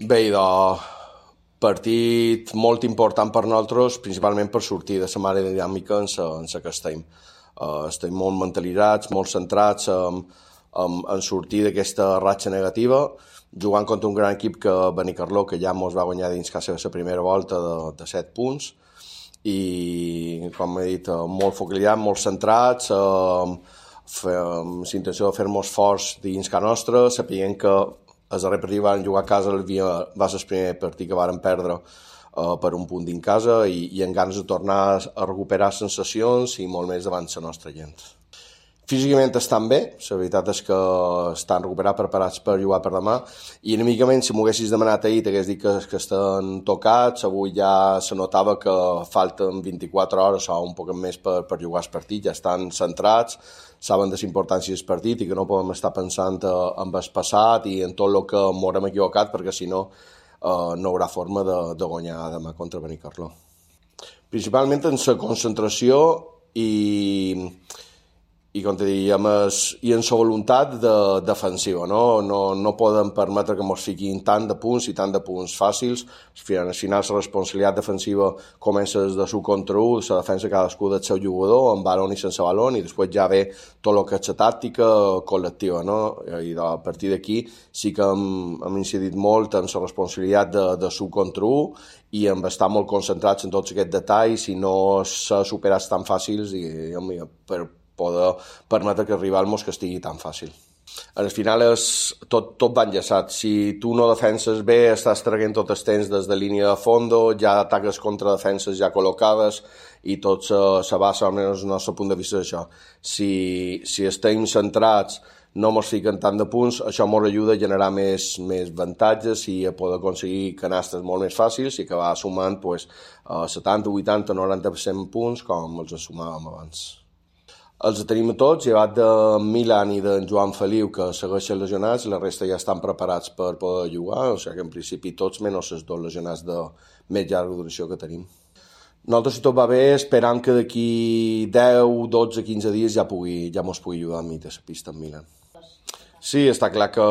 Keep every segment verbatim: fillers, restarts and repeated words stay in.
Bé, idò, partit molt important per nosaltres, principalment per sortir de la mare dinàmica en la, en la que estem. Uh, estem molt mentalitzats, molt centrats en, en, en sortir d'aquesta ratxa negativa, jugant contra un gran equip que Benicarló, que ja ens va guanyar dins quasi la primera volta de, de set punts, i, com he dit, molt focalitzats, molt centrats, eh, amb la intenció de fer-nos forts dins casa nostra, sapient que el darrer partit van jugar a casa, va ser el primer partit que varen perdre uh, per un punt dins casa i, i amb ganes de tornar a recuperar sensacions i molt més davant la nostra gent. Físicament estan bé, la veritat és que estan recuperats, preparats per jugar per demà, i enamicament, si m'ho haguessis demanat ahir, t'hagués dit que, que estan tocats. Avui ja se notava que falten vint-i-quatre hores o un poc més per, per jugar el partit, ja estan centrats, saben de la importància del partit i que no podem estar pensant en el passat i en tot el que m'haurem equivocat, perquè si no eh, no hi haurà forma de, de guanyar demà contra Benicarló. Principalment en la concentració i... i com te diem, i en la voluntat de, defensiva, no? No, no podem permetre que ens fiquin tant de punts i tant de punts fàcils. Al final la responsabilitat defensiva comença de su contra u, la defensa cadascú del seu jugador, amb balón i sense balón, i després ja ve tot el que és la tàctica col·lectiva, no? I a partir d'aquí sí que hem, hem incidit molt en la responsabilitat de, de su contra u i hem estar molt concentrats en tots aquests detalls i no ser superats tan fàcils i, i per poder permetre que el rival mos castigui tan fàcil. Al final és, tot, tot va enllaçat. Si tu no defenses bé, estàs traient tot el temps des de línia de fondo, ja ataques contra defenses ja col·locades i tot se, se basa, almenys el nostre punt de vista, d'això. Si, si estem centrats, no ens fiquen tant de punts, això ens ajuda a generar més, més avantatges i a poder aconseguir canastes molt més fàcils i que va sumant pues, setanta, vuitanta, noranta per cent punts com els sumàvem abans. Els tenim a tots, llevat de Milan i d'en Joan Feliu, que segueixen lesionats, la resta ja estan preparats per poder jugar, o sigui que en principi tots, menys els dos lesionats de més llarga duració que tenim. Nosaltres, si tot va bé, esperam que d'aquí deu, dotze, quinze dies ja pugui, ja mos pugui ajudar a mi de la pista en Milan. Sí, està clar que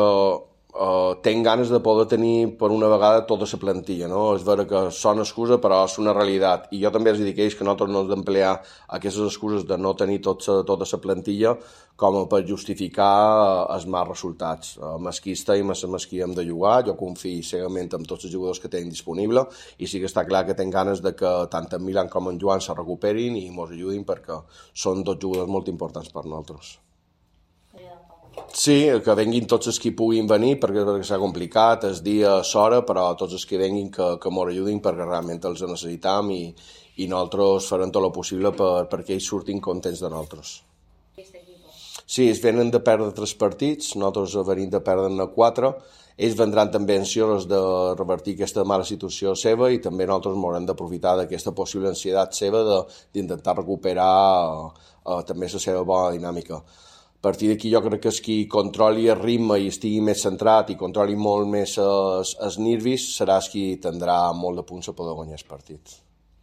Uh, tenc ganes de poder tenir per una vegada tota la plantilla, no? És vera que són excusa, però és una realitat. I jo també els dic a ells que nosaltres no hem d'emplear aquestes excuses de no tenir tot sa, tota la plantilla com per justificar els mals resultats. Amb qui estem, amb qui hem de jugar, jo confio cegament en tots els jugadors que tenim disponibles i sí que està clar que tenc ganes de que tant en Milan com en Joan se recuperin i ens ajudin perquè són dos jugadors molt importants per nosaltres. Sí, que venguin tots els que puguin venir perquè, perquè s'ha complicat, és dia, s'hora, però tots els que venguin que, que ens ajudin perquè realment els necessitam i, i nosaltres farem tot el possible per, perquè ells surtin contents de nosaltres. Sí, ells venen de perdre tres partits, nosaltres venim de perdre quatre, ells vendran també ansiosos de revertir aquesta mala situació seva i també nosaltres haurem d'aprofitar d'aquesta possible ansietat seva d'intentar recuperar eh, també la seva bona dinàmica. A partir d'aquí jo crec que és qui controli el ritme i estigui més centrat i controli molt més els, els nervis serà qui tindrà molt de punts a poder guanyar el partit.